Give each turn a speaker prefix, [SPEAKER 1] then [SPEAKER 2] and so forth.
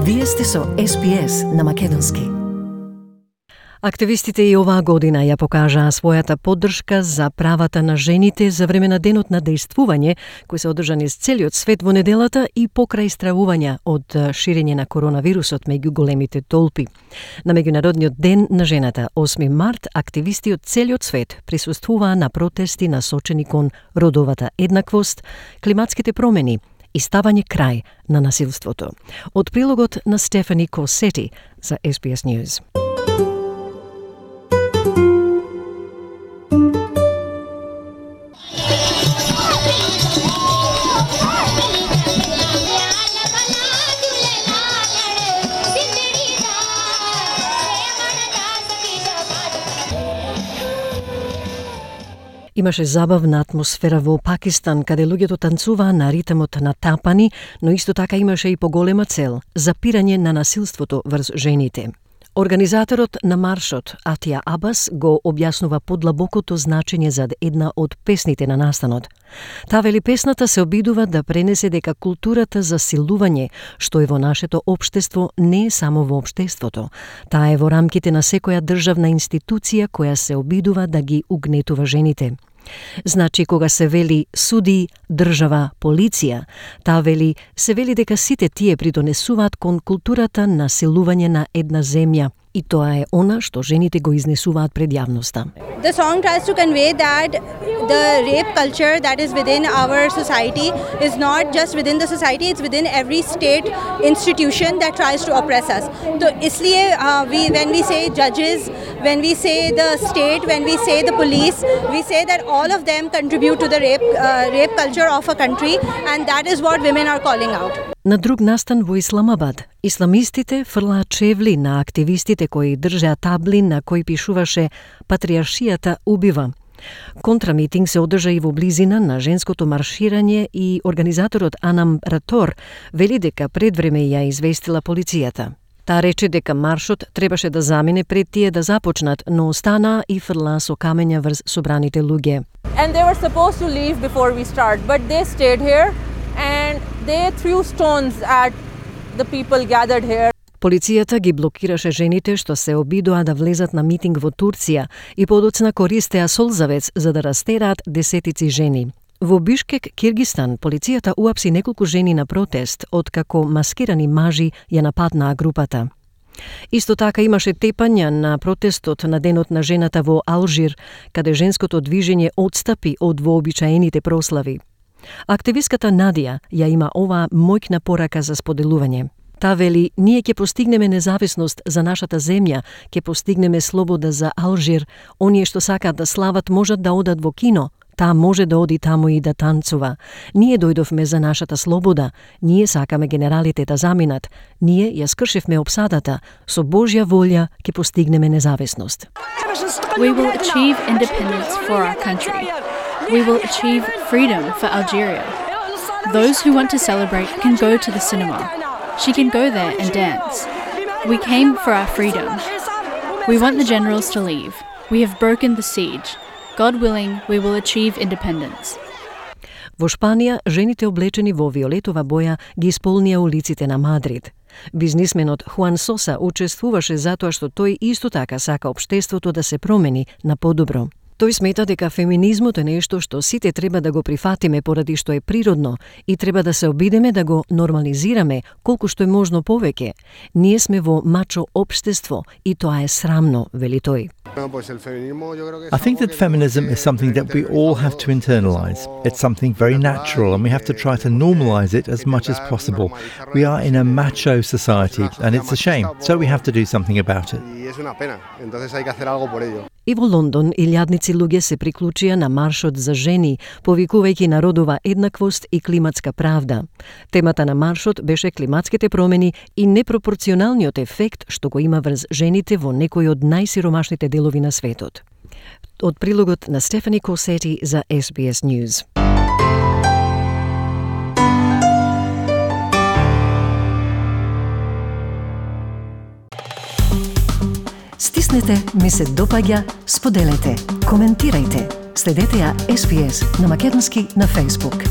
[SPEAKER 1] Вие сте со SPS на Македонски. Активистите и оваа година ја покажаа својата поддршка за правата на жените за време на денот на дејствување, кој се одржан из целиот свет во неделата и покрај стравувања од ширење на коронавирусот меѓу големите толпи. На меѓународниот ден на жената, 8 март, активисти од целиот свет присуствуваа на протести насочени кон родовата еднаквост, климатските промени и ставање крај на насилството. Од прилогот на Стефани Косети за SBS News. Имаше забавна атмосфера во Пакистан, каде луѓето танцуваа на ритмот на тапани, но исто така имаше и поголема цел – запирање на насилството врз жените. Организаторот на маршот, Атија Абас, го објаснува подлабокото значење за една од песните на настанот. Таа вели песната се обидува да пренесе дека културата за силување, што е во нашето општество, не е само во општеството. Таа е во рамките на секоја државна институција која се обидува да ги угнетува жените. Значи, кога се вели суди, држава, полиција, таа вели, се вели дека сите тие придонесуваат кон културата на силување на една земја. И тоа е она што жените го изнесуваат пред јавноста.
[SPEAKER 2] The song tries to convey that the rape culture that is within our society is not just within the society, it's within every state institution that tries to oppress us. So इसलिए when we say judges, when we say the state, when we say the police, we say that all of them contribute to the rape culture of a country, and that is what women are calling out.
[SPEAKER 1] На друг настан во Исламабад, исламистите фрлаат чевли на активистите кои држеа табли на кои пишуваше «Патриаршијата убива». Контрамитинг се одржа и во близина на женското марширање и организаторот Анам Ратор вели дека пред време ја известила полицијата. Таа рече дека маршот требаше да замине пред тие да започнат, но останаа и фрлаа со камења врз собраните луѓе.
[SPEAKER 3] And they were supposed to leave before we start, but they stayed here and they threw stones at the people gathered here.
[SPEAKER 1] Полицијата ги блокираше жените што се обидоа да влезат на митинг во Турција и подоцна користеа солзавец за да растераат десетици жени. Во Бишкек, Киргистан, полицијата уапси неколку жени на протест, откако маскирани мажи ја нападнаа групата. Исто така имаше тепања на протестот на денот на жената во Алжир, каде женското движење отстапи од вообичаените прослави. Активистката Надија ја има оваа мојкна порака за споделување. Та вели, ние ќе постигнеме независност за нашата земја, ќе постигнеме слобода за Алжир, оние што сакаат да слават можат да одат во кино, таа може да оди таму и да танцува. Ние дојдовме за нашата слобода, ние сакаме генералите да заминат, ние ја скршивме опсадата, со Божја волја ќе постигнеме независност.
[SPEAKER 4] We will achieve independence for our country. We will achieve freedom for Algeria. Those who want to celebrate can go to the cinema. She can go there and dance. We came for our freedom. We want the generals to leave. We have broken the siege. God willing, we will achieve independence.
[SPEAKER 1] Во Шпанија, жените облечени во виолетова боја ги исполнија улиците на Мадрид. Бизнисменот Хуан Соса учествуваше затоа што тој исто така сака општеството да се промени на подобро. Тој смета дека феминизмот е нешто што сите треба да го прифатиме поради што е природно и треба да се обидеме да го нормализираме колку што е можно повеќе. Ние сме во мачо општество и тоа е срамно, вели тој.
[SPEAKER 5] I think that feminism is something that we all have to internalize. It's something very natural and we have to try to normalize it as much as possible. We are in a macho society and it's a shame, so we have to do something about it.
[SPEAKER 1] И во Лондон, илјадници луѓе се приклучија на маршот за жени, повикувајќи на родова еднаквост и климатска правда. Темата на маршот беше климатските промени и непропорционалниот ефект што го има врз жените во некои од најсиромашните делови на светот. Од прилогот на Стефани Косети за SBS News. Стиснете, ми се допаѓа, споделете, коментирајте. Следете ја SBS на Македонски на Facebook.